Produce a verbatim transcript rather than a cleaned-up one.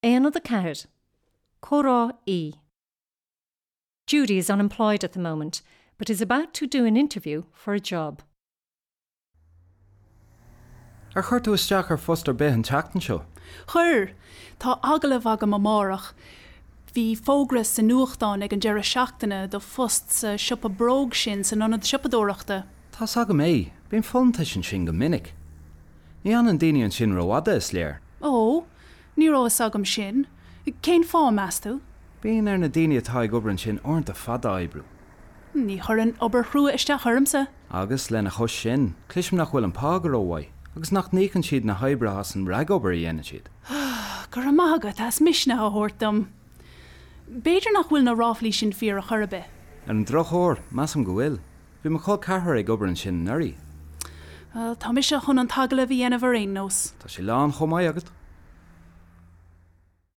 Aonad a ceathair. Comhrá E. Judy is unemployed at the moment, but is about to do an interview for a job. Ar chuir tú isteach ar phost ar bith an tseachtain seo? Chuir, Tá agallamh agam amárach. Bhí fógra sa nuachtán ag an deireadh seachtaine do phost sa siopa bróg sin san ionad siopadóireachta. Tá's agam é, bíonn folúntais ansin go minic. Ní fhanann daoine ansin rófhada is léir. Ó, ní raibh a fhios agam sin, Cén fáth meas tú? Bíonn ar na daoine atá ag obair ansin uaireanta fada a oibriú. Ní chuireann obair chrua isteach ormsa. Agus lena chois sin, cloisim nach bhfuil an pá go rómhaith, agus nach n-íocann siad na hoibrithe as an ragobair a dhéanann siad. Go raibh maith agat as misneach a thabhairt dom. B'fhéidir nach bhfuil na ráflaí sin fíor ar chor ar bith. Ar an drochuair, measaim go bhfuil. Bhí mo chol ceathrair ag obair ansin anuraidh. Well, tá mise chun an t-agallamh a dhéanamh ar aon nós. Tá sé lán chomh maith agat.